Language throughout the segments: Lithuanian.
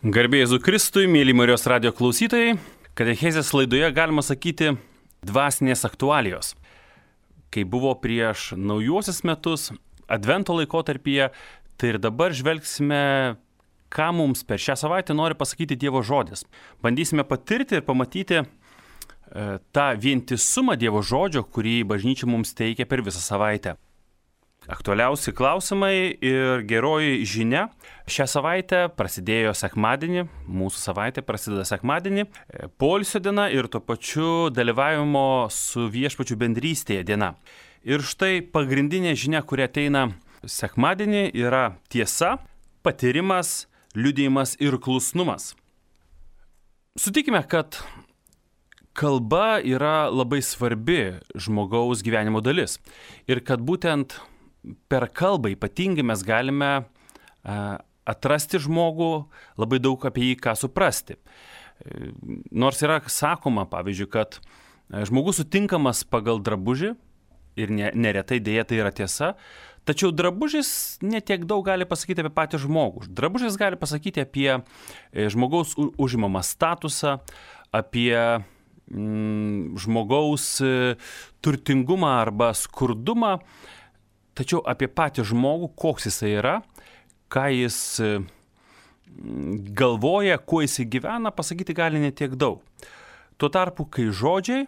Garbė Jėzui Kristui, mėly Marijos radijo klausytojai, katechezės laidoje galima sakyti dvasinės aktualijos. Kai buvo prieš naujuosius metus, advento laikotarpyje, tai ir dabar žvelgsime, ką mums per šią savaitę nori pasakyti Dievo žodis. Bandysime patirti ir pamatyti tą vientisumą Dievo žodžio, kurį bažnyčia mums teikia per visą savaitę. Aktualiausi klausimai ir geroji žinia. Šią savaitę prasidėjo sekmadienį, mūsų savaitė prasideda sekmadienį, poilsio diena ir tuo pačiu dalyvavimo su viešpačiu bendrystėje diena. Ir štai pagrindinė žinia, kuri ateina sekmadienį, yra tiesa, patyrimas, liudijimas ir klusnumas. Sutikime, kad kalba yra labai svarbi žmogaus gyvenimo dalis ir kad būtent per kalbą ypatingai mes galime atrasti žmogų, labai daug apie jį ką suprasti. Nors yra sakoma, pavyzdžiui, kad žmogus sutinkamas pagal drabužį ir neretai dėja tai yra tiesa, tačiau drabužis netiek daug gali pasakyti apie patį žmogų. Drabužis gali pasakyti apie žmogaus užimamą statusą, apie žmogaus turtingumą arba skurdumą, tačiau apie patį žmogų, koks jisai yra, ką jis galvoja, kuo jisai gyvena, pasakyti gali netiek daug. Tuo tarpu, kai žodžiai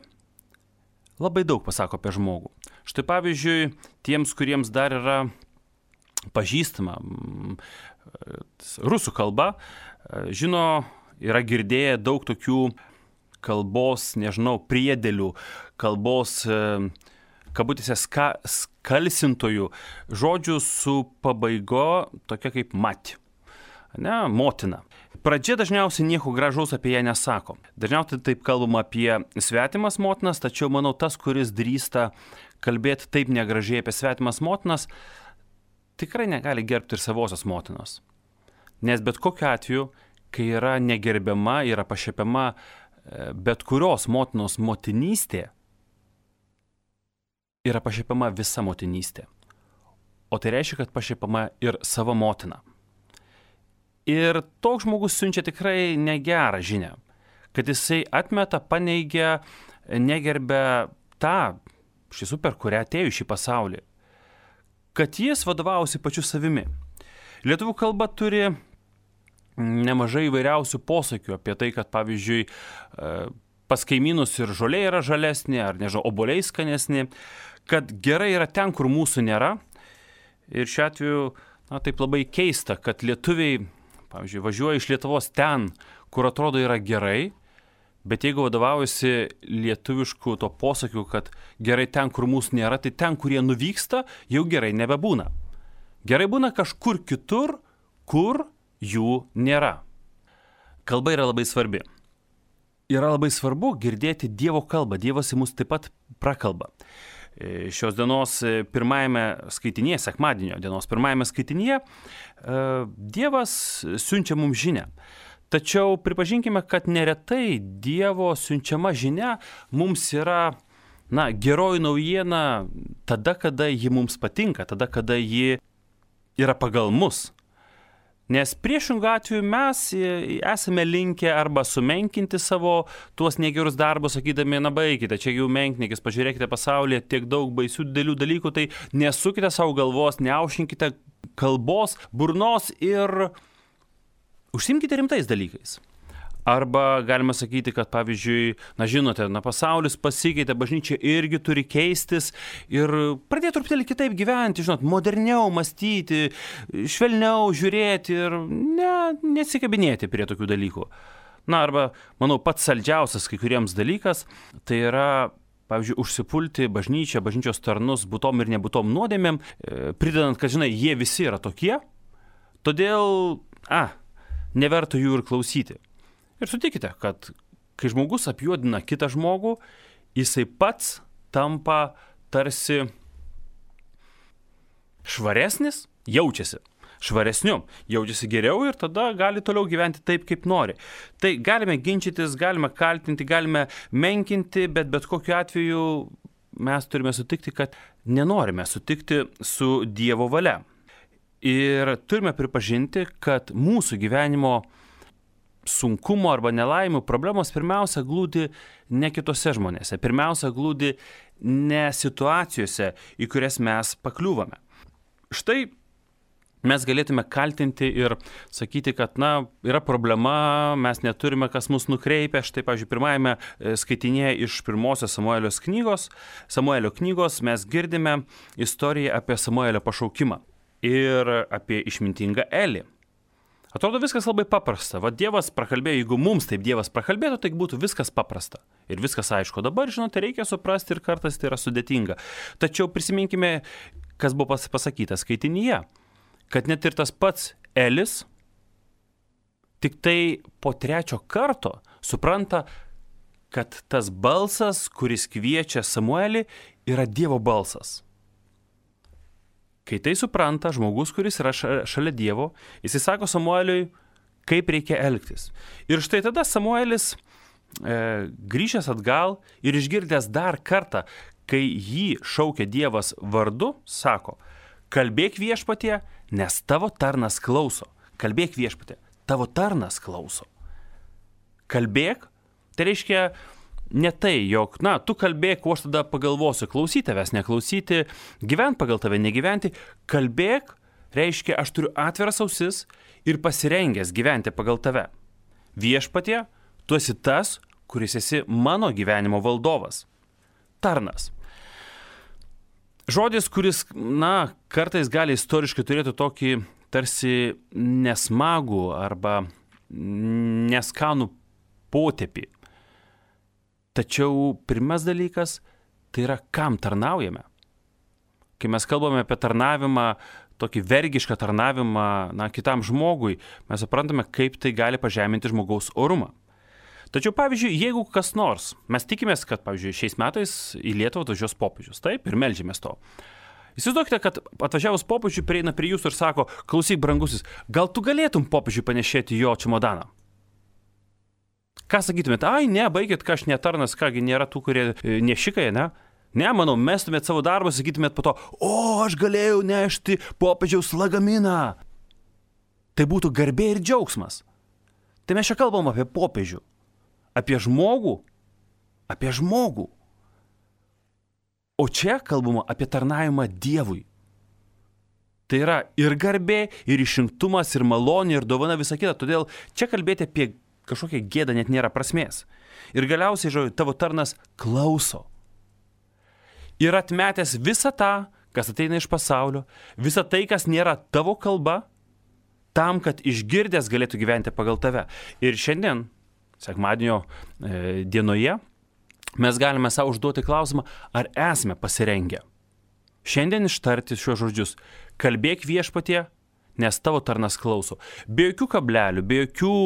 labai daug pasako apie žmogų. Štai pavyzdžiui, tiems, kuriems dar yra pažįstama rusų kalba, žino, yra girdėję daug tokių kalbos, priedėlių, kalbos kabutėse skalsintojų žodžių su pabaigo tokia kaip mati, motina. Pradžia dažniausiai nieko gražaus apie ją nesako. Dažniausiai taip kalbama apie svetimas motinas, tačiau manau tas, kuris drįsta kalbėti taip negražiai apie svetimas motinas, tikrai negali gerbti ir savosios motinos. Nes bet kokiu atveju, kai yra negerbiama, yra pašiepiama bet kurios motinos motinystė, yra pašiepiama visa motinystė. O tai reiškia, kad pašiepiama ir savo motina. Ir toks žmogus siunčia tikrai negerą žinią, kad jisai atmeta, paneigia, negerbia tą, per kurią atėjo šį pasaulį, kad jis vadovausi pačiu savimi. Lietuvių kalba turi nemažai įvairiausių posakių apie tai, kad pavyzdžiui pas kaimynus ir žolė yra žalesnė, ar obuoliai skanesnė, kad gerai yra ten, kur mūsų nėra. Ir šiuo atveju, taip labai keista, kad lietuviai, pavyzdžiui, važiuoja iš Lietuvos ten, kur atrodo yra gerai, bet jeigu vadovaujasi lietuvišku to posakiu, kad gerai ten, kur mūsų nėra, tai ten, kur jie nuvyksta, jau gerai nebebūna. Gerai būna kažkur kitur, kur jų nėra. Kalba yra labai svarbi. Yra labai svarbu girdėti Dievo kalbą. Dievas į mus taip pat prakalba. Šios dienos pirmajame skaitinėje, sekmadienio dienos pirmajame skaitinėje, Dievas siunčia mums žinią. Tačiau pripažinkime, kad neretai Dievo siunčiama žinia mums yra geroji naujiena tada, kada ji mums patinka, tada, kada ji yra pagal mus. Nes priešingų atveju mes esame linkę arba sumenkinti savo tuos negerus darbus, sakydami, baikite, čia jau menknikis, pažiūrėkite pasaulyje, tiek daug baisių didelių dalykų, tai nesukite savo galvos, neaušinkite kalbos, burnos ir užsimkite rimtais dalykais. Arba galima sakyti, kad pavyzdžiui, žinote, pasaulis pasikeitė, bažnyčia irgi turi keistis ir pradėti truputėlį kitaip gyventi, moderniau mąstyti, švelniau žiūrėti ir nesikabinėti prie tokių dalykų. Arba, manau, pats saldžiausias kai kuriems dalykas, tai yra, pavyzdžiui, užsipulti bažnyčią, bažnyčios tarnus būtom ir nebūtom nuodėmėm, pridedant, kad, jie visi yra tokie, todėl, neverta jų ir klausyti. Ir sutikite, kad kai žmogus apjuodina kitą žmogų, jisai pats tampa tarsi švaresnis, jaučiasi švaresniu, jaučiasi geriau ir tada gali toliau gyventi taip, kaip nori. Tai galime ginčytis, galime kaltinti, galime menkinti, bet kokiu atveju mes turime sutikti, kad nenorime sutikti su Dievo valia. Ir turime pripažinti, kad mūsų gyvenimo sunkumo arba nelaimių problemos pirmiausia glūdi ne kitose žmonėse, pirmiausia glūdi ne situacijose, į kurias mes pakliūvame. Štai mes galėtume kaltinti ir sakyti, kad, yra problema, mes neturime, kas mus nukreipia. Štai, pavyzdžiui, pirmajame skaitinėje iš pirmosios Samuelio knygos mes girdime istoriją apie Samuelio pašaukimą ir apie išmintingą Elį. Atrodo viskas labai paprasta. Va Dievas prakalbėjo, jeigu mums taip Dievas prakalbėtų, tai būtų viskas paprasta. Ir viskas aišku. Dabar, žinote, reikia suprasti ir kartais tai yra sudėtinga. Tačiau prisiminkime, kas buvo pasakyta skaitinyje, kad net ir tas pats Elis tik tai po 3 karto supranta, kad tas balsas, kuris kviečia Samuelį, yra Dievo balsas. Kai tai supranta žmogus, kuris yra šalia Dievo, jis sako Samueliui, kaip reikia elgtis. Ir štai tada Samuelis grįžęs atgal ir išgirdęs dar kartą, kai jį šaukia Dievas vardu, sako, kalbėk viešpatie, nes tavo tarnas klauso. Kalbėk viešpatie, tavo tarnas klauso. Kalbėk, tai reiškia ne tai, jog, tu kalbėk, o aš tada pagalvosiu, klausyti tavęs, neklausyti, gyvent pagal tave, negyventi. Kalbėk, reiškia, aš turiu atviras ausis ir pasirengęs gyventi pagal tave. Viešpatie, tu esi tas, kuris esi mano gyvenimo valdovas. Tarnas. Žodis, kuris, kartais gali istoriškai turėti tokį tarsi nesmagų arba neskanų potėpį. Tačiau pirmas dalykas, tai yra, kam tarnaujame. Kai mes kalbame apie tarnavimą, tokį vergišką tarnavimą, kitam žmogui, mes suprantame, kaip tai gali pažeminti žmogaus orumą. Tačiau, pavyzdžiui, jeigu kas nors, mes tikimės, kad, pavyzdžiui, šiais metais į Lietuvą atvažiuos popiežius, taip, ir meldžiamės to. Įsivaizduokite, kad atvažiavus popiežiui prieina prie jūsų ir sako, klausyk, brangusis, gal tu galėtum popiežiui panešėti jo čemodaną? Ką sakytumėte? Ne, baigit, aš netarnas, kągi nėra tų, kurie nešikai, ne? Ne, manau, mestumėt savo darbą, sakytumėt po to, aš galėjau nešti popiežiaus lagaminą. Tai būtų garbė ir džiaugsmas. Tai mes čia kalbam apie popiežių, apie žmogų, O čia kalbama apie tarnavimą Dievui. Tai yra ir garbė, ir išrinktumas, ir malonė, ir dovana, visa kita. Todėl čia kalbėti apie kažkokią gėdą net nėra prasmės. Ir galiausiai, tavo tarnas klauso. Ir atmetęs visą tą, kas ateina iš pasaulio, visą tai, kas nėra tavo kalba, tam, kad išgirdęs galėtų gyventi pagal tave. Ir šiandien, sekmadienio dienoje, mes galime savo užduoti klausimą, ar esame pasirengę. Šiandien ištarti šios žodžius, kalbėk viešpatie, nes tavo tarnas klauso. Be jokių kablelių, be jokių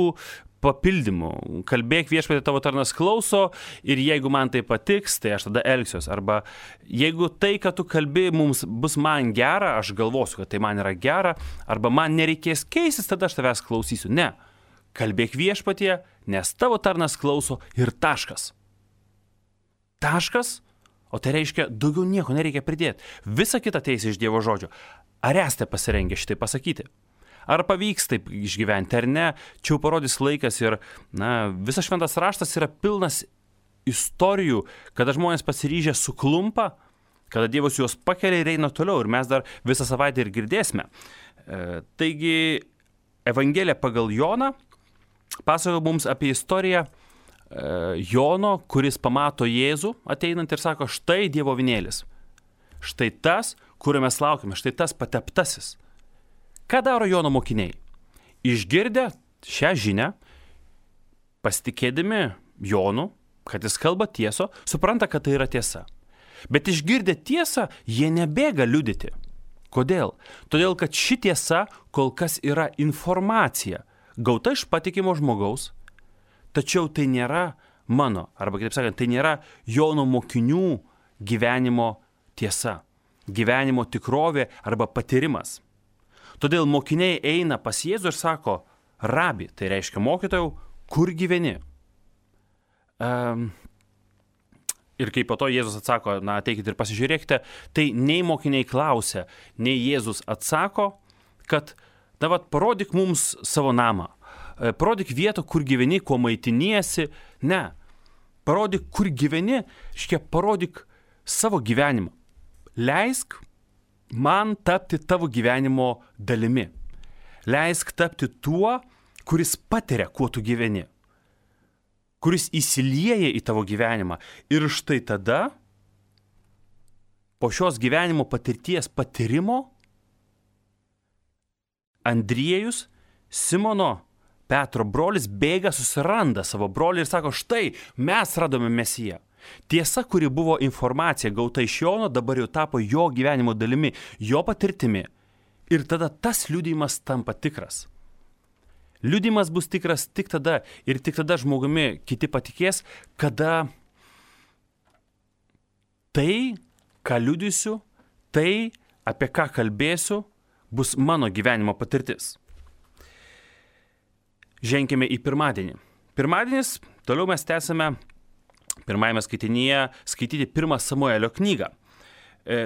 papildymų. Kalbėk viešpatie, tavo tarnas klauso ir jeigu man tai patiks, tai aš tada elgsiuos. Arba jeigu tai, kad tu kalbi, bus man gera, aš galvosiu, kad tai man yra gera, arba man nereikės keistis, tada aš tavęs klausysiu. Ne. Kalbėk viešpatie, nes tavo tarnas klauso ir taškas. Taškas, o tai reiškia, daugiau nieko nereikia pridėti. Visa kita teisė iš Dievo žodžio. Ar esate pasirengę šitai pasakyti? Ar pavyks taip išgyventi, ar ne? Čia jau parodys laikas ir, visas šventas raštas yra pilnas istorijų, kada žmonės pasiryžę suklumpa, kada Dievas juos pakelia ir eina toliau. Ir mes dar visą savaitę ir girdėsime. Taigi, Evangelija pagal Joną pasakoja mums apie istoriją Jono, kuris pamato Jėzų ateinant ir sako, štai Dievo avinėlis. Štai tas, kurio mes laukime, štai tas pateptasis. Ką daro Jono mokiniai? Išgirdę šią žinią, pasitikėdami Jonu, kad jis kalba tieso, supranta, kad tai yra tiesa. Bet išgirdę tiesą, jie nebėga liudyti. Kodėl? Todėl, kad ši tiesa kol kas yra informacija, gauta iš patikimo žmogaus, tačiau tai nėra mano, arba kitaip sakant, tai nėra Jono mokinių gyvenimo tiesa, gyvenimo tikrovė arba patyrimas. Todėl mokiniai eina pas Jėzų ir sako, rabi, tai reiškia mokytojau, kur gyveni? Ir kai po to Jėzus atsako, ateikit ir pasižiūrėkite, tai nei mokiniai klausia, nei Jėzus atsako, kad, parodyk mums savo namą. parodyk vietą, kur gyveni, kuo maitiniesi. Ne. Parodyk, kur gyveni, parodyk savo gyvenimą. Leisk man tapti tavo gyvenimo dalimi. Leisk tapti tuo, kuris patiria, kuo tu gyveni. Kuris įsilieja į tavo gyvenimą. Ir štai tada, po šios gyvenimo patirties patyrimo, Andriejus, Simono Petro brolis, bėga, susiranda savo brolį ir sako, štai, mes radome Mesiją. Tiesa, kuri buvo informacija gauta iš Jono, dabar jau tapo jo gyvenimo dalimi, jo patirtimi. Ir tada tas liudijimas tampa tikras. Liudijimas bus tikras tik tada ir tik tada žmogumi kiti patikės, kada tai, ką liudysiu, tai, apie ką kalbėsiu, bus mano gyvenimo patirtis. Ženkime į pirmadienį. Pirmadienis, toliau mes tęsime pirmajame skaitinyje skaityti 1 Samuelio knygą.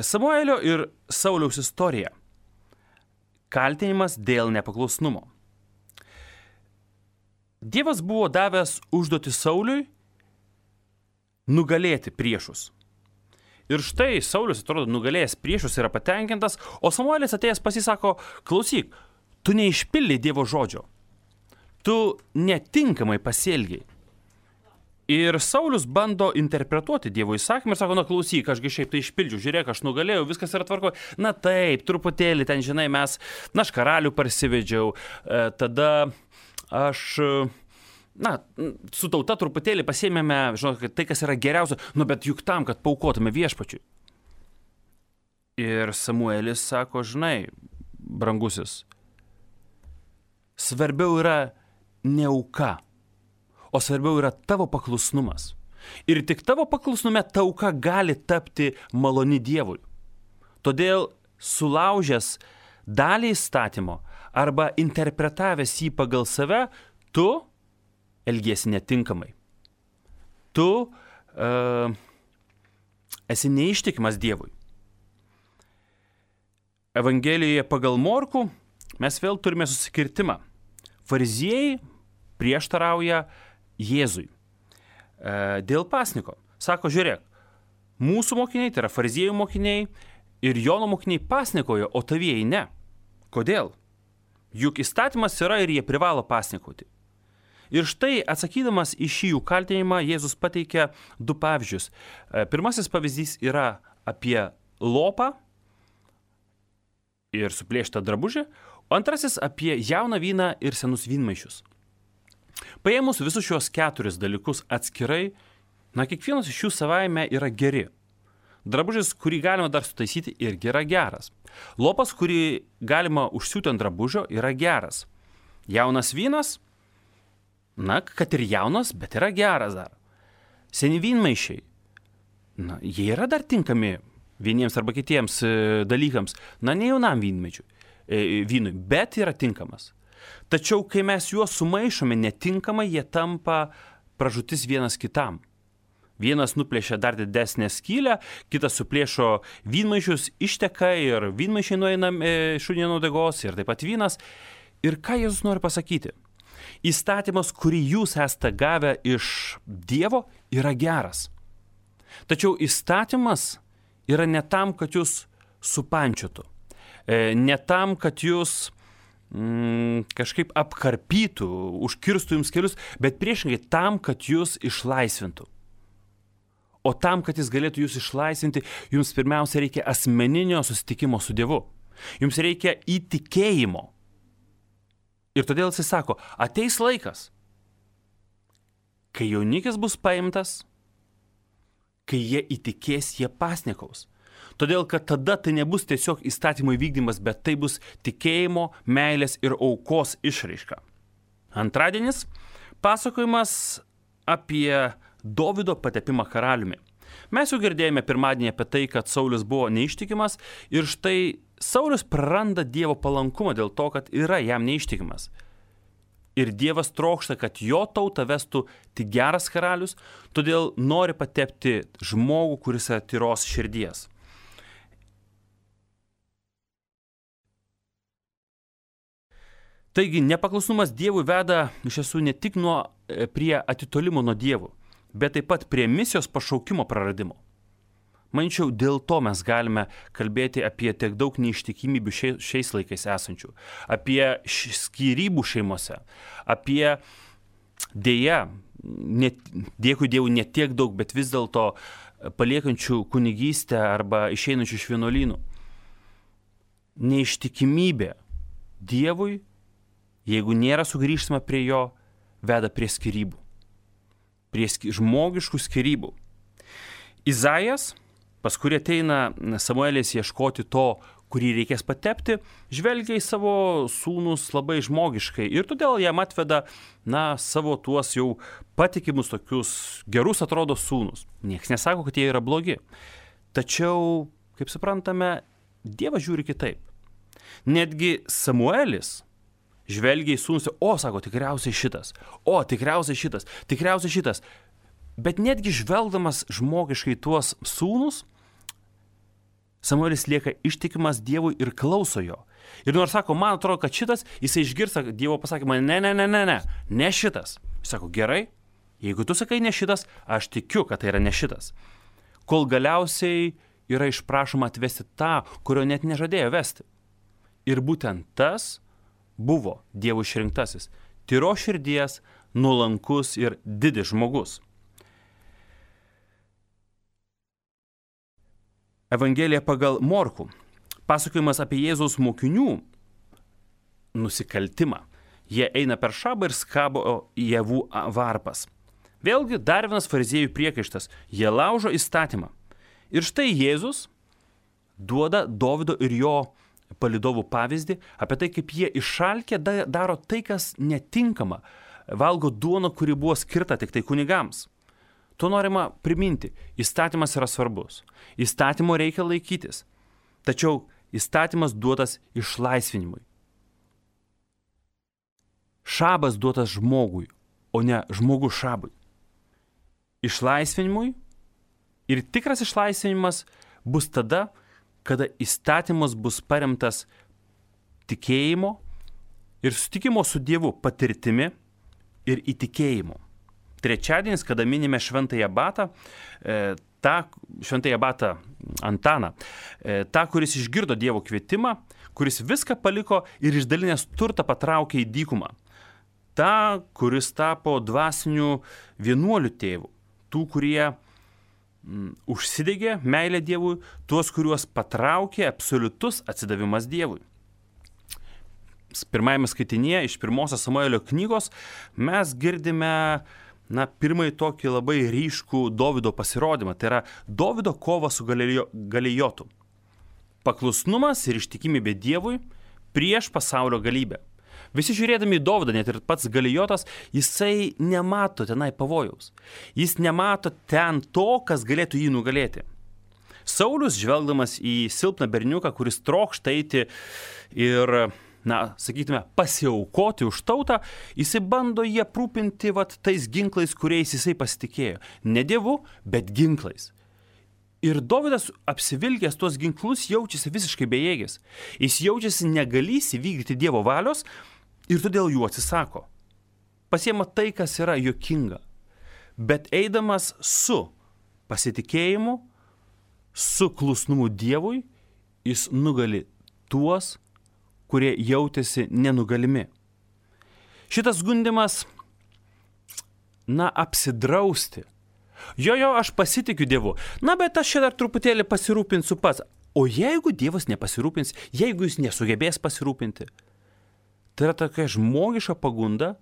Samuelio ir Sauliaus istorija. Kaltinimas dėl nepaklusnumo. Dievas buvo davęs užduoti Sauliui nugalėti priešus. Ir štai Saulius, atrodo, nugalėjęs priešus, yra patenkintas, o Samuelis atėjęs pasisako, klausyk, tu neišpildai Dievo žodžio. Tu netinkamai pasielgiai. Ir Saulius bando interpretuoti Dievo įsakymą ir sako, na klausyk, ašgi šiaip tai išpildžiu, žiūrėk, aš nugalėjau, viskas yra tvarko. Na taip, truputėlį ten, žinai, aš karalių parsivedžiau, tada aš, su tauta truputėlį pasiėmėme, žinok, tai, kas yra geriausia, bet juk tam, kad paaukotume viešpačiui. Ir Samuelis sako, žinai, brangusis, svarbiau yra ne auka, o svarbiau yra tavo paklusnumas. Ir tik tavo paklusnume ta auka gali tapti maloni Dievui. Todėl sulaužęs dalį įstatymo arba interpretavęs jį pagal save, tu elgiesi netinkamai. Tu esi neištikimas Dievui. Evangelijoje pagal Morkų mes vėl turime susikirtimą. Fariziejai prieštarauja Jėzui dėl pasniko. Sako, žiūrėk, mūsų mokiniai, tai yra fariziejų mokiniai ir Jono mokiniai pasnikojo, o tavieji ne. Kodėl? Juk įstatymas yra ir jie privalo pasnikauti. Ir štai atsakydamas į šį jų kaltinimą, Jėzus pateikia 2 pavyzdžius. Pirmasis pavyzdys yra apie lopą ir suplėštą drabužį, o antrasis apie jauną vyną ir senus vynmaišius. Paėmus visus šios 4 dalykus atskirai, kiekvienas iš jų savaime yra geri. Drabužis, kurį galima dar sutaisyti, irgi yra geras. Lopas, kurį galima užsiūti ant drabužio, yra geras. Jaunas vynas, kad ir jaunas, bet yra geras dar. Seni vynmaišiai, jie yra dar tinkami vieniems arba kitiems dalykams, ne jaunam vynui, bet yra tinkamas. Tačiau, kai mes juos sumaišome netinkamai, jie tampa pražūtis vienas kitam. Vienas nuplėšia dar didesnę skylę, kitas suplėšo vynmaišius, išteka ir vynmaišiai nueina šunie nuo degos ir taip pat vynas. Ir ką Jėzus nori pasakyti? Įstatymas, kurį jūs esate gavę iš Dievo, yra geras. Tačiau įstatymas yra ne tam, kad jūs supančiotų. Ne tam, kad jūs kažkaip apkarpytų, užkirstų jums kelius, bet priešingai tam, kad jūs išlaisvintų. O tam, kad jis galėtų jūs išlaisvinti, jums pirmiausia reikia asmeninio susitikimo su Dievu. Jums reikia įtikėjimo. Ir todėl jis sako, ateis laikas, kai jaunikis bus paimtas, kai jie įtikės, jie pasnikaus. Todėl, kad tada tai nebus tiesiog įstatymo įvykdymas, bet tai bus tikėjimo, meilės ir aukos išraiška. Antradienis – pasakojimas apie Dovydo patepimą karaliumi. Mes jau girdėjome pirmadienį apie tai, kad Saulius buvo neištikimas ir štai Saulius praranda Dievo palankumą dėl to, kad yra jam neištikimas. Ir Dievas trokšta, kad jo tautą vestų tik geras karalius, todėl nori patepti žmogų, kuris yra tyros širdies. Taigi, nepaklusnumas Dievui veda iš tiesų ne tik prie atitolimo nuo Dievo, bet taip pat prie misijos pašaukimo praradimo. Manyčiau, dėl to mes galime kalbėti apie tiek daug neištikimybių šiais laikais esančių, apie skyrybų šeimose, apie dėja, dėkui Dievui, ne tiek daug, bet vis dėlto paliekančių kunigystę arba išeinančių iš vienuolynų. Neištikimybė Dievui, jeigu nėra sugrįžtama prie jo, veda prie skyrybų, prie žmogiškų skyrybų. Izaijas, pas kurį ateina Samuelis ieškoti to, kurį reikės patepti, žvelgia į savo sūnus labai žmogiškai ir todėl jam atveda, savo tuos jau patikimus tokius gerus atrodo sūnus. Niekas nesako, kad jie yra blogi. Tačiau, kaip suprantame, Dievas žiūri kitaip. Netgi Samuelis žvelgia į sūnus, sako, tikriausiai šitas, tikriausiai šitas. Bet netgi žvelgdamas žmogiškai tuos sūnus, Samuelis lieka ištikimas Dievui ir klauso jo. Ir nors sako, man atrodo, kad šitas, jisai išgirsta Dievo pasakymą, ne šitas. Jis sako, gerai, jeigu tu sakai ne šitas, aš tikiu, kad tai yra ne šitas. Kol galiausiai yra išprašoma atvesti tą, kurio net nežadėjo vesti. Ir būtent tas buvo Dievo išrinktasis, tyros širdies, nuolankus ir didis žmogus. Evangelija pagal Morkų. Pasakojimas apie Jėzaus mokinių nusikaltimą. Jie eina per šabą ir skabo javų varpas. Vėlgi dar vienas fariziejų priekaištas. Jie laužo įstatymą. Ir štai Jėzus duoda Dovydo ir jo palydovų pavyzdį apie tai, kaip jie išalkę daro tai, kas netinkama. Valgo duoną, kuri buvo skirta tik tai kunigams. To norima priminti. Įstatymas yra svarbus. Įstatymo reikia laikytis. Tačiau įstatymas duotas išlaisvinimui. Šabas duotas žmogui, o ne žmogus šabui. Išlaisvinimui ir tikras išlaisvinimas bus tada, kada įstatymas bus paremtas tikėjimo ir sutikimo su Dievu patirtimi ir įtikėjimu. Trečiadienis, kada minime šventąją Batą, šventąją Batą Antaną, tą, kuris išgirdo Dievo kvietimą, kuris viską paliko ir išdalinęs turtą patraukė į dykumą. Ta, kuris tapo dvasiniu vienuoliu tėvu. Tų, kurie užsidegė meilę Dievui, tuos, kuriuos patraukė absoliutus atsidavimas Dievui. Pirmajame skaitinėje iš 1 Samuelio knygos mes girdime pirmąjį tokį labai ryškų Dovydo pasirodymą. Tai yra Dovydo kova su Galijotu. Paklusnumas ir ištikimybė Dievui prieš pasaulio galybę. Visi žiūrėdami į Dovydą, net ir pats Galijotas, jisai nemato tenai pavojaus. Jis nemato ten to, kas galėtų jį nugalėti. Saulius, žvelgdamas į silpną berniuką, kuris trokšta eiti ir sakytume, pasiaukoti už tautą, jisai bando jį aprūpinti tais ginklais, kuriais jisai pasitikėjo. Ne Dievu, bet ginklais. Ir Dovydas apsivilkęs tuos ginklus jaučiasi visiškai bejėgis. Jis jaučiasi negalys įvykdyti Dievo valios ir todėl jų atsisako. Pasiema tai, kas yra juokinga. Bet eidamas su pasitikėjimu, su klusnumu Dievui, jis nugali tuos, kurie jautėsi nenugalimi. Šitas gundymas, apsidrausti. Jo, aš pasitikiu Dievu. Bet aš čia dar truputėlį pasirūpinsiu pats. O jeigu Dievas nepasirūpins, jeigu jis nesugebės pasirūpinti, tai yra tokia žmogiška pagunda,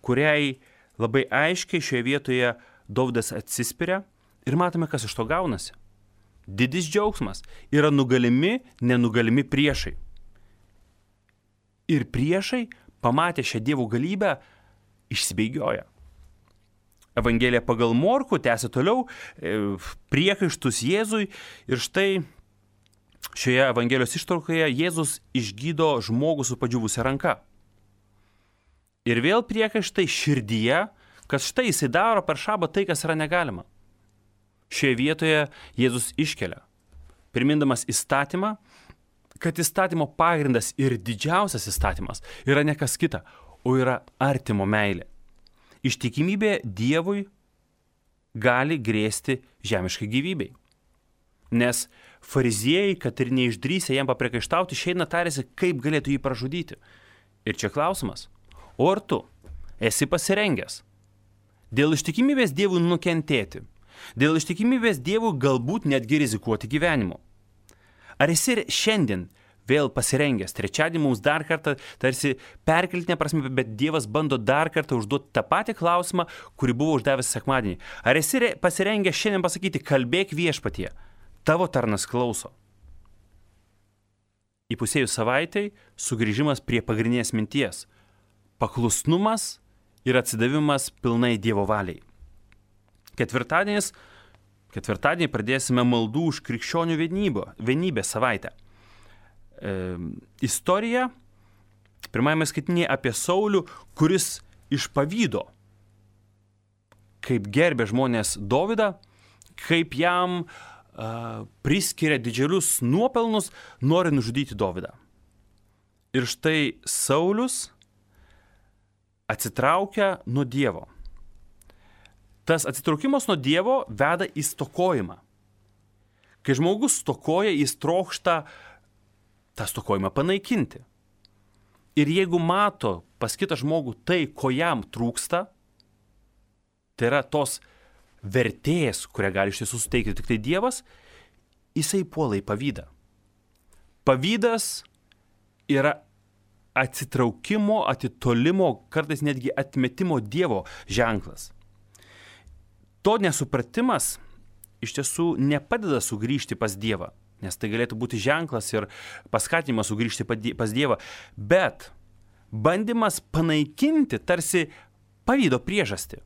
kuriai labai aiškiai šioje vietoje Dovydas atsispiria ir matome, kas iš to gaunasi. Didis džiaugsmas yra nugalimi, nenugalimi priešai. Ir priešai, pamatę šią Dievo galybę, išsibėgioja. Evangelija pagal Morkų tęsia toliau priekaištus Jėzui ir štai šioje Evangelijos ištraukoje Jėzus išgydo žmogų su padžiūvusia ranka. Ir vėl priekaištai širdyje, kad štai jisai daro per šabą tai, kas yra negalima. Šioje vietoje Jėzus iškelia, primindamas įstatymą, kad įstatymo pagrindas ir didžiausias įstatymas yra ne kas kita, o yra artimo meilė. Ištikimybė Dievui gali grėsti žemiškai gyvybei. Nes fariziejai, kad ir neišdrįsę jam papriekaištauti, išeina tarėsi, kaip galėtų jį pražudyti. Ir čia klausimas, o ar tu esi pasirengęs dėl ištikimybės Dievui nukentėti, dėl ištikimybės Dievui galbūt netgi rizikuoti gyvenimu? Ar esi šiandien vėl pasirengęs? Trečiadienį mums dar kartą, tarsi perkeltinė prasme, bet Dievas bando dar kartą užduoti tą patį klausimą, kurį buvo uždavęs sekmadienį. Ar esi pasirengęs šiandien pasakyti, kalbėk viešpatie, tavo tarnas klauso? Įpusėjus savaitei sugrįžimas prie pagrindinės minties – paklusnumas ir atsidavimas pilnai Dievo valiai. Ketvirtadienį pradėsime maldų už krikščionių vienybę savaitę. Istorija, pirmajame skaitinėje apie Saulių, kuris iš pavydo, kaip gerbė žmonės Dovydą, kaip jam priskiria didžiulius nuopelnus, nori nužudyti Dovydą. Ir štai Saulius atsitraukia nuo Dievo. Tas atsitraukimas nuo Dievo veda į stokojimą. Kai žmogus stokoja, jis trokšta tą stokojimą panaikinti. Ir jeigu mato pas kitą žmogų tai, ko jam trūksta, tai yra tos vertės, kurią gali iš tiesų suteikti tik tai Dievas, jisai puola į pavydą. Pavydas yra atsitraukimo, atitolimo, kartais netgi atmetimo Dievo ženklas. To nesupratimas iš tiesų nepadeda sugrįžti pas Dievą, nes tai galėtų būti ženklas ir paskatinimas sugrįžti pas Dievą, bet bandymas panaikinti tarsi pavydo priežastį.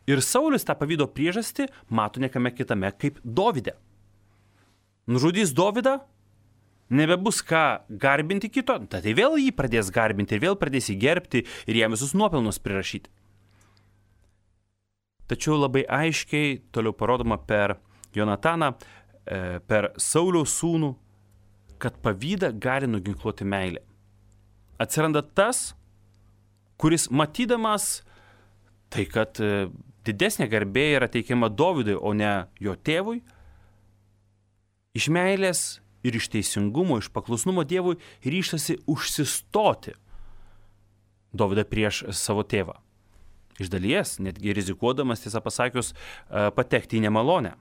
Ir Saulius tą pavydo priežastį mato niekame kitame kaip Dovyde. Nužudys Dovydą, nebebus ką garbinti kito, tai vėl jį pradės garbinti ir vėl pradės jį gerbti ir jam visus nuopelnus prirašyti. Tačiau labai aiškiai toliau parodoma per Jonataną, per Sauliaus sūnų, kad pavydą gali nuginkluoti meilė. Atsiranda tas, kuris matydamas tai, kad didesnė garbė yra teikiama Dovydui, o ne jo tėvui, iš meilės ir iš teisingumo, iš paklusnumo Dievui ryžtasi užsistoti Dovydą prieš savo tėvą. Iš dalies, netgi rizikuodamas, tiesą pasakius, patekti į nemalonę.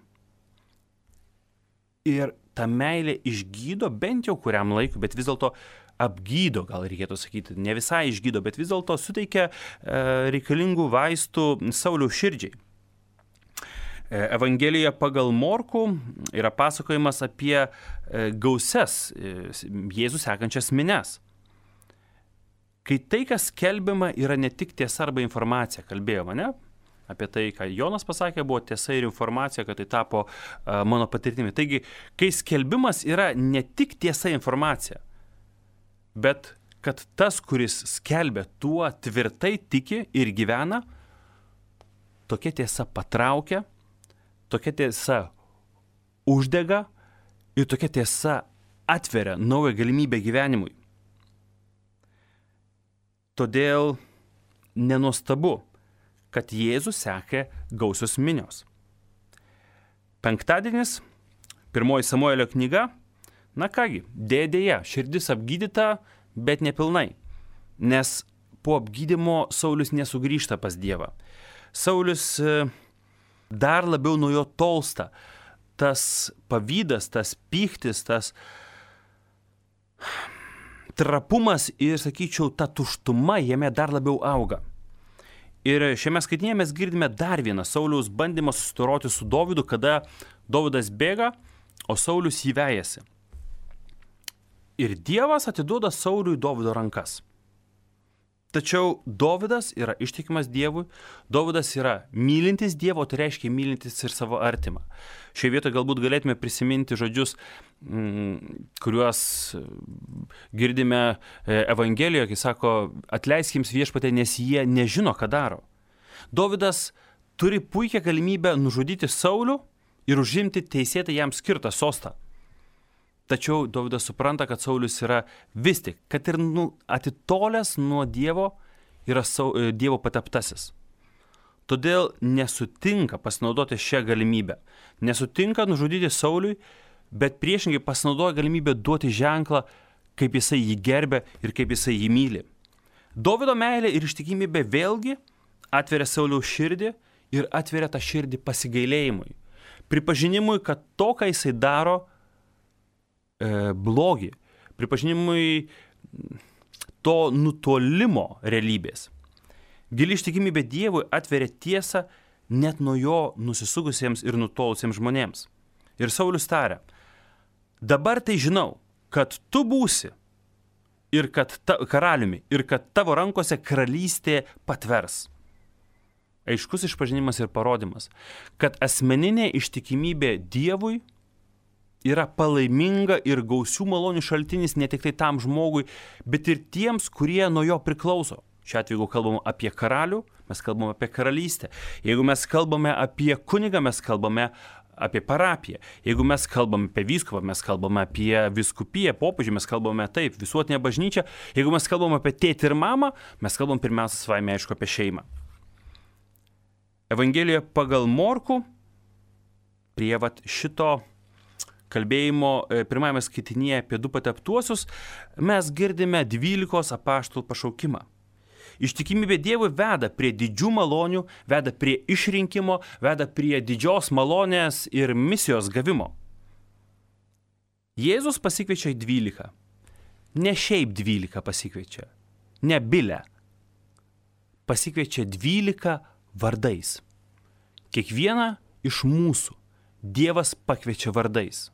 Ir ta meilė išgydo bent jau kuriam laikui, bet vis dėlto apgydo, gal reikėtų sakyti, ne visai išgydo, bet vis dėlto suteikia reikalingų vaistų Sauliaus širdžiai. Evangelijoje pagal Morkų yra pasakojimas apie gausias Jėzų sekančias minias. Kai tai, kas skelbiama, yra ne tik tiesa arba informacija, kalbėjome, ne? Apie tai, ką Jonas pasakė, buvo tiesa ir informacija, kad tai tapo mano patirtimi. Taigi, kai skelbimas yra ne tik tiesa informacija, bet kad tas, kuris skelbia, tuo tvirtai tiki ir gyvena, tokia tiesa patraukia, tokia tiesa uždega ir tokia tiesa atveria naują galimybę gyvenimui. Todėl nenuostabu, kad Jėzų sekė gausios minios. Penktadienis, 1 Samuelio knyga, na kągi, dėja, širdis apgydyta, bet nepilnai, nes po apgydymo Saulius nesugrįžta pas Dievą. Saulius dar labiau nuo jo tolsta. Tas pavydas, tas pyktis, tas trapumas ir, sakyčiau, ta tuštuma jame dar labiau auga. Ir šiame skaitinėje mes girdime dar vieną Sauliaus bandymą susidoroti su Dovydu, kada Dovydas bėga, o Saulius jį vejasi. Ir Dievas atiduoda Sauliui Dovydo rankas. Tačiau Dovydas yra ištikimas Dievui, Dovydas yra mylintis Dievo, tai reiškia mylintis ir savo artimą. Šioje vietoje galbūt galėtume prisiminti žodžius, kuriuos girdime Evangelijoje, kai sako, atleisk jiems viešpatie, nes jie nežino, ką daro. Dovydas turi puikią galimybę nužudyti Saulių ir užimti teisėtai jam skirtą sostą. Tačiau Dovydas supranta, kad Saulius yra vis tik, kad ir atitolęs nuo Dievo, yra Dievo pateptasis. Todėl nesutinka pasinaudoti šią galimybę. Nesutinka nužudyti Sauliui, bet priešingai pasinaudoja galimybę duoti ženklą, kaip jisai jį gerbia ir kaip jisai jį myli. Dovydo meilė ir ištikimybė vėlgi atveria Sauliaus širdį ir atveria tą širdį pasigailėjimui. Pripažinimui, kad to, ką jisai daro, blogį. Pripažinimui to nutolimo realybės. Gili ištikimybė Dievui atveria tiesą net nuo jo nusisugusiems ir nutolusiems žmonėms. Ir Saulius taria, dabar tai žinau, kad tu būsi ir kad karaliumi, ir kad tavo rankose karalystė patvers. Aiškus išpažinimas ir parodimas, kad asmeninė ištikimybė Dievui yra palaiminga ir gausių malonių šaltinis ne tik tai tam žmogui, bet ir tiems, kurie nuo jo priklauso. Šiuo atveju, jeigu kalbame apie karalių, mes kalbame apie karalystę. Jeigu mes kalbame apie kunigą, mes kalbame apie parapiją. Jeigu mes kalbame apie vyskupą, mes kalbame apie vyskupiją, popiežių, mes kalbame taip, visuotinę bažnyčią. Jeigu mes kalbame apie tėtį ir mamą, mes kalbame pirmiausia savaime aišku apie šeimą. Evangelijoje pagal Morkų prie šito kalbėjimo pirmajame skaitinyje apie du pateptuosius mes girdime 12 apaštalų pašaukimą. Ištikimybė Dievui veda prie didžių malonių, veda prie išrinkimo, veda prie didžios malonės ir misijos gavimo. Jėzus pasikviečia 12. Ne šiaip 12 pasikviečia, ne bilę. Pasikviečia 12 vardais. Kiekvieną iš mūsų Dievas pakviečia vardais.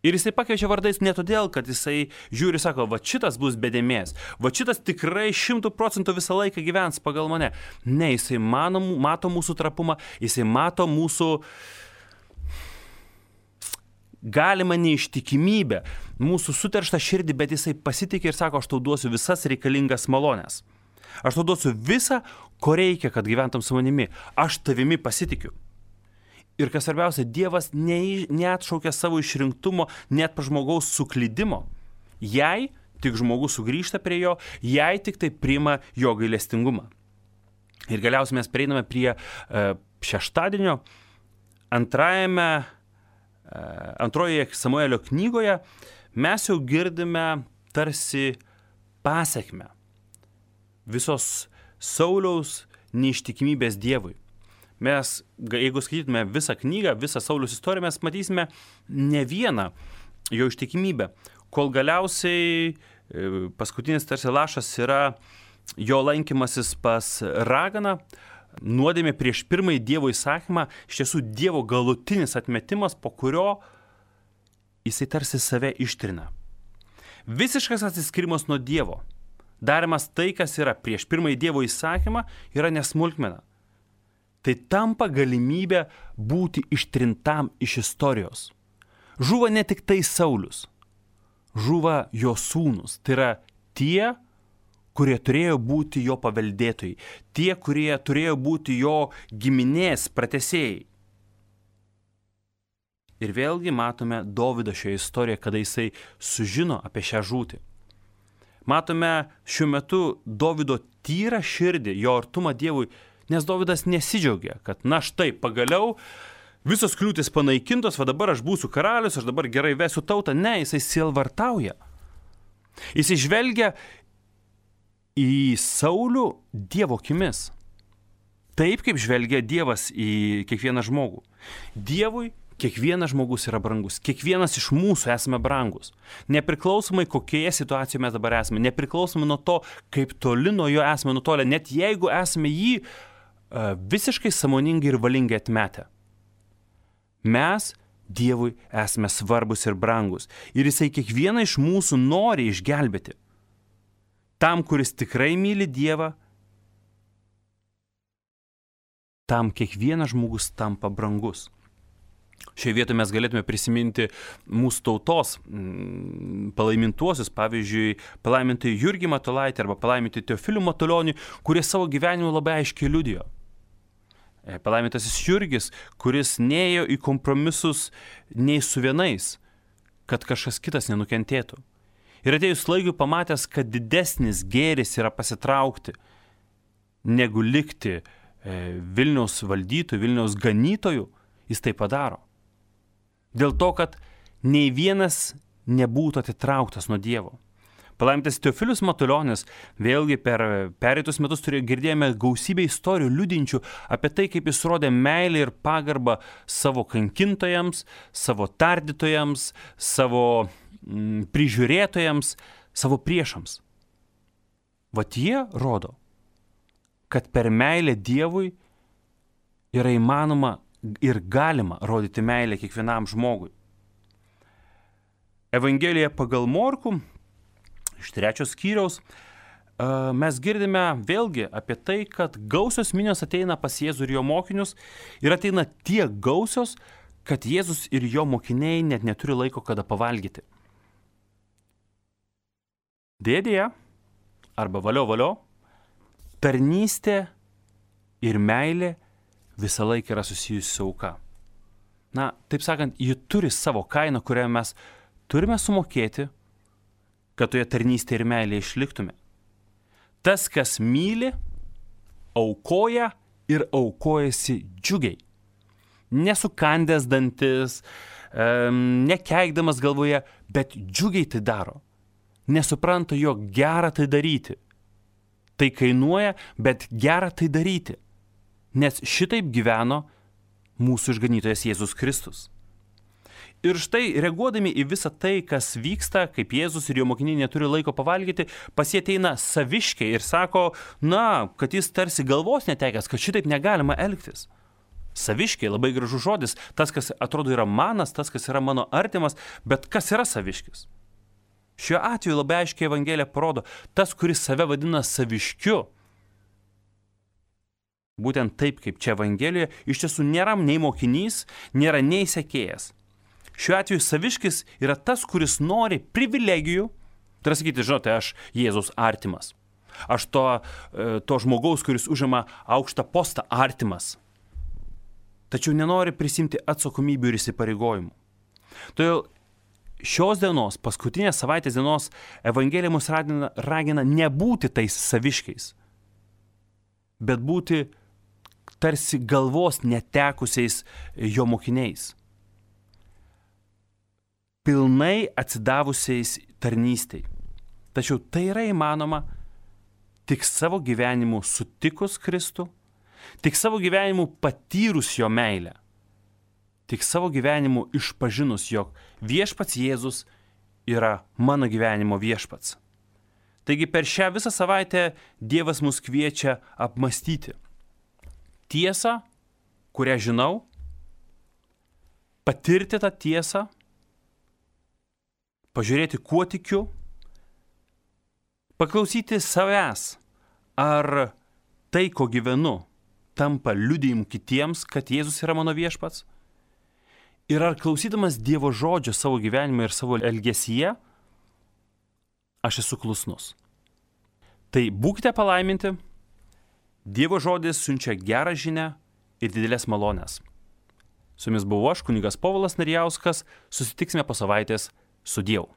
Ir jisai pakviečia vardais ne todėl, kad jisai žiūri ir sako, va šitas bus be dėmės, va šitas tikrai 100% visą laiką gyvens pagal mane. Ne, jisai mato mūsų trapumą, jisai mato mūsų galimą neištikimybę, mūsų suterštą širdį, bet jisai pasitikė ir sako, aš tau duosiu visas reikalingas malonės. Aš tau duosiu visą, ko reikia, kad gyventum su manimi. Aš tavimi pasitikiu. Ir kas svarbiausia, Dievas neatšaukia savo išrinktumo net po žmogaus suklydimo. Jei tik žmogus sugrįžta prie jo, jei tik tai priima jo gailestingumą. Ir galiausiai mes prieiname prie šeštadienio antrojoje Samuelio knygoje. Mes jau girdime tarsi pasekmę visos Sauliaus neištikimybės Dievui. Mes, jeigu skaitytume visą knygą, visą Sauliaus istoriją, mes matysime ne vieną jo ištikimybę, kol galiausiai paskutinis tarsi lašas yra jo lankymasis pas raganą, nuodėmė prieš pirmąjį Dievo įsakymą, iš tiesų Dievo galutinis atmetimas, po kurio jisai tarsi save ištrina. Visiškas atsiskirimas nuo Dievo, darimas tai, kas yra prieš pirmąjį Dievo įsakymą, yra nesmulkmena. Tai tampa galimybė būti ištrintam iš istorijos. Žuva ne tik tai Saulius, žuva jo sūnus. Tai yra tie, kurie turėjo būti jo paveldėtojai, tie, kurie turėjo būti jo giminės pratęsėjai. Ir vėlgi matome Dovydą šioje istorijoje, kada jisai sužino apie šią žūtį. Matome šiuo metu Dovydo tyrą širdį, jo artumą Dievui, nes Dovydas nesidžiaugia, kad na štai pagaliau visos kliūtis panaikintos, va dabar aš būsiu karalius, aš dabar gerai vesiu tautą. Ne, jisai sielvartauja. Jisai žvelgia į Saulių Dievo akimis. Taip, kaip žvelgia Dievas į kiekvieną žmogų. Dievui kiekvienas žmogus yra brangus. Kiekvienas iš mūsų esame brangus. Nepriklausomai kokioje situacijoje mes dabar esame. Nepriklausomai nuo to, kaip toli nuo jo esame nutolę. Net jeigu esame jį visiškai sąmoningai ir valingai atmetę. Mes Dievui esame svarbus ir brangus. Ir jisai kiekvieną iš mūsų nori išgelbėti. Tam, kuris tikrai myli Dievą, tam kiekvienas žmogus tampa brangus. Šioje vietoje mes galėtume prisiminti mūsų tautos palaimintuosius, pavyzdžiui, palaimintąjį Jurgį Matulaitį arba palaimintąjį Teofilių Matulionį, kurie savo gyvenimu labai aiškiai liudijo. Palaimintasis Jurgis, kuris neėjo į kompromisus nei su vienais, kad kažkas kitas nenukentėtų. Ir atėjus laikui pamatęs, kad didesnis gėris yra pasitraukti, negu likti Vilniaus valdytojų, Vilniaus ganytojų, jis tai padaro. Dėl to, kad nei vienas nebūtų atitrauktas nuo Dievo. Palaimintas Teofilius Matulionis, vėlgi per pereitus metus girdėjome gausybę istorijų liudinčių apie tai, kaip jis rodė meilę ir pagarbą savo kankintojams, savo tardytojams, savo prižiūrėtojams, savo priešams. Vat jie rodo, kad per meilę Dievui yra įmanoma ir galima rodyti meilę kiekvienam žmogui. Evangelija pagal Morkų, iš 3 skyriaus, mes girdime vėlgi apie tai, kad gausios minios ateina pas Jėzų ir jo mokinius ir ateina tiek gausios, kad Jėzus ir jo mokiniai net neturi laiko kada pavalgyti. Dėdėje, arba valio, tarnystė ir meilė visą laiką yra susijusi su auka. Na, taip sakant, ji turi savo kainą, kurią mes turime sumokėti, kad toje tarnystėje ir meilėje išliktume. Tas, kas myli, aukoja ir aukojasi džiugiai. Nesukandęs dantis, nekeikdamas galvoje, bet džiugiai tai daro. Nesupranta, jog gera tai daryti. Tai kainuoja, bet gera tai daryti. Nes šitaip gyveno mūsų išganytojas Jėzus Kristus. Ir štai, reaguodami į visą tai, kas vyksta, kaip Jėzus ir jo mokiniai neturi laiko pavalgyti, pas jie ateina saviškiai ir sako, kad jis tarsi galvos netekęs, kad šitaip negalima elgtis. Saviškiai, labai gražus žodis, tas, kas atrodo yra manas, tas, kas yra mano artimas, bet kas yra saviškis? Šiuo atveju labai aiškiai Evangelija parodo, tas, kuris save vadina saviškiu, būtent taip, kaip čia Evangelijoje, iš tiesų nėra nei mokinys, nėra nei sekėjas. Šiuo atveju saviškis yra tas, kuris nori privilegijų, tai yra sakyti, žinote, aš Jėzus artimas. Aš to žmogaus, kuris užima aukštą postą, artimas. Tačiau nenori prisimti atsakomybių ir įsipareigojimų. Todėl šios dienos, paskutinės savaitės dienos, Evangelija mus ragina nebūti tais saviškiais, bet būti tarsi galvos netekusiais jo mokiniais. Pilnai atsidavusiais tarnystei. Tačiau tai yra įmanoma tik savo gyvenimu sutikus Kristų, tik savo gyvenimu patyrus jo meilę, tik savo gyvenimu išpažinus, jog viešpats Jėzus yra mano gyvenimo viešpats. Taigi per šią visą savaitę Dievas mus kviečia apmastyti tiesą, kurią žinau, patirti tą tiesą, pažiūrėti, kuo tikiu, paklausyti savęs, ar tai, ko gyvenu, tampa liudijimu kitiems, kad Jėzus yra mano viešpats, ir ar klausydamas Dievo žodžio savo gyvenime ir savo elgesyje, aš esu klusnus. Tai būkite palaiminti, Dievo žodis siunčia gerą žinią ir didelės malonės. Su jumis buvau aš, kunigas Povilas Narijauskas, susitiksime po savaitės. Su Dievu.